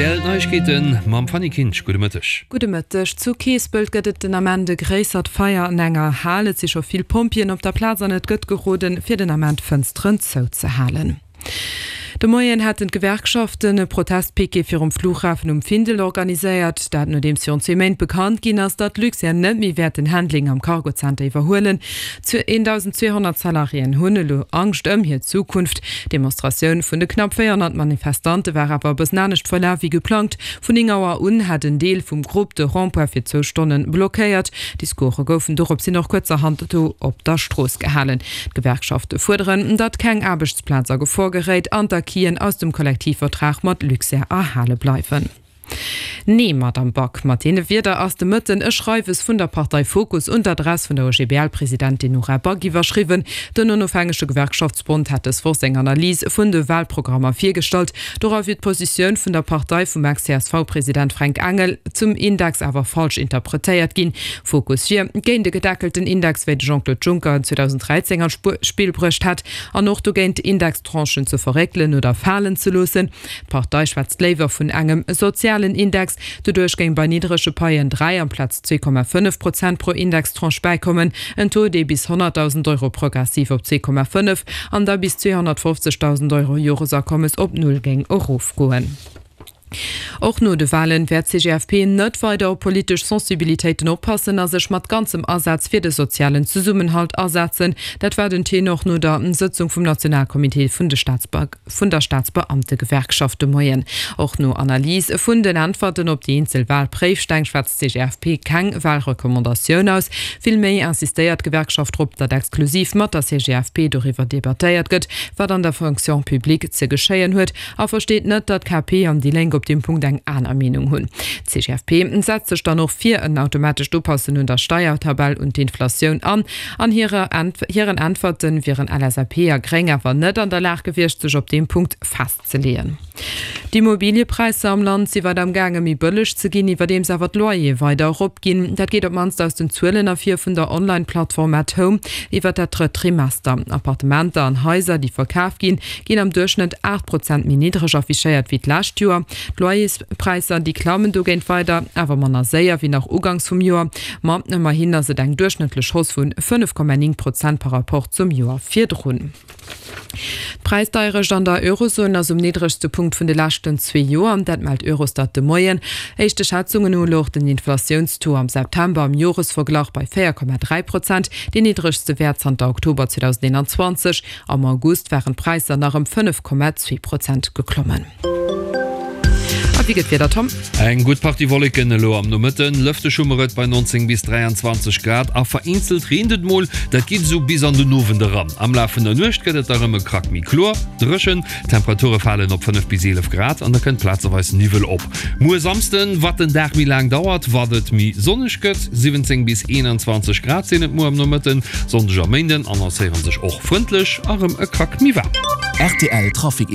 Rtl Neiegkeeten mam Fanny Kinsch. Gudde Mëtteg. Gudde Mëtteg. Zu Keespelt gëtt et den Ament e gréissert Feier an enger Hal. Et si scho vill Pompjeeën op der Plaz an et gëtt geroden, fir den Ament d'Fënsteren zouzehalen. De Moien hätten d'Gewerkschaften e Protestpiquet virum Flughafen um Findel organiséiert. Dat nodeems virun zwee Méint bekannt ginn ass, datt Luxair net méi wäert den Handling am Cargozenter iwwerhuelen. 1.200 Salariéen hunn elo Angscht ëm hir Zukunft. D'Demonstratioun vun de knapp 400 Manifestante war awer e bëssen anescht verlaf wéi geplangt. Vun 9 Auer un hat en Deel vum Grupp de Rond-point fir zwou Stonne blockéiert. Discourse goufen dorops hin och kuerzerhand do op der Strooss gehalen. D'Gewerkschafte fuerderen, datt keng Aarbechtsplaz a Gefor geréit an d'Acquisen aus dem Kollektivvertrag mat Luxair erhale bleiwen. Nee, Madamm Back, mat deene Wierder ass de Mëtten e Schreiwes vun der Partei Fokus un d'Adress vun der OGBL-Presidentin Nora Back iwwerschriwwen. Den onofhängege Gewerkschaftsbond hat dës Woch seng Analys vun de Walprogrammer virgestallt. Dora wier d'Positioun vun der Partei vum Ex-CSV-President Fränk Engel zum Index awer falsch interpretéiert ginn. Fokus wier géint e gedeckelten Index, wéi de Jean-Claude Juncker en 2013 an d'Spill bruecht hat, an och dogéint, Indextranchen ze verréckelen oder falen ze loossen. D'Partei schwätzt léiwer vun engem sozialen Index. Doduerch géing bei niddrege Paien 3 amplaz 2,5 Prozent pro Indextranche bäikommen, en Taux, dee bis 100.000 Euro progressiv op 2,5 an da bis 250.000 Euro Joresakommes op Null géing erofgoen. Och no de Walen wäert d'CGFP net weider op politesch Sensibilitéiten oppassen a sech mat ganzem Asaz fir de sozialen Zesummenhalt asetzen. Dat war den Tenor no der Sëtzung vum Nationalcomité vun de vun der Staatsbeamtegewerkschaft de Moien. Och no Analys vun den Äntwerten op déi eenzel Walpréifsteng schwätzt d'CGFP keng Walrecommandatioun aus. Vill méi insistéiert d'Gewerkschaft drop, datt exklusiv mat der CGFP doriwwer debattéiert gëtt, wat an der Fonction publique ze geschéien huet, a versteet net, datt d'KP an déi Lénk op deem Punkt eng aner Meenung hunn. D'CGFP setzt sech dann och fir en automatescht Upassen un der Steiertabell un d'Inflatioun an. An hiren Äntwerte wieren LSAP a Gréng awer net an der Lag gewiescht, sech op deem Punkt festzeleeën. D'Immobiliëpräisser am Land si weider am gaange méi bëlleg ze ginn, iwwerdeems awer d'Loyere weider eropginn. Dat geet op d'mannst aus den Zuelen ervir vun der Online-Plattform At Home iwwer dat drëtt Trimester. Appartementer an Haiser, déi verkaf ginn, ginn am Duerchschnëtt 8 Prozent méi niddreg affichéiert wéi d'lescht Joer. D'Loyerspräisser, déi klammen dogéint weider, awer manner séier wéi nach uganks vum Joer. Ma ëmmerhin ass et eng duerchschnëttlech Hausse vu 5,9 Prozent par Rapport zum Joer virdrun. D'Präisdeierecht an der Eurozon ass um niddregste Punkt vun de leschten zwee Joer. Dat mellt Eurostat de Moien. Éischte Schätzungen no louch den Inflatiounstaux am September am Joresverglach bei 4,3 Prozent, deen niddregste Wäert zanter Oktober 2021. Am August waren d'Präisser nach ëm 5,2 Prozent geklommen. A wéi gëtt d'Wieder, Tom? Eng gutt Partie Wolleken elo am Nomëtten, lëfteg hu mer et bei 19 bis 23 Grad a vereenzelt reent et mol. Dat geet esou bis an den Owend eran. Am Laf vun der Nuecht gëtt et da rëm e Krack méi kloer, dréchen. D'Temperature falen op 5 bis 11 Grad an da kënnt plazeweis Niwwel op. Muer Samsden, wat den Dag méi laang dauert, wat et méi sonneg gëtt, 17 bis 21 Grad sinn et muer am Nomëtten. Sonndeg a Méinden annoncéiere sech och frëndlech a rëm e Krack méi waarm. Rtl Trafic.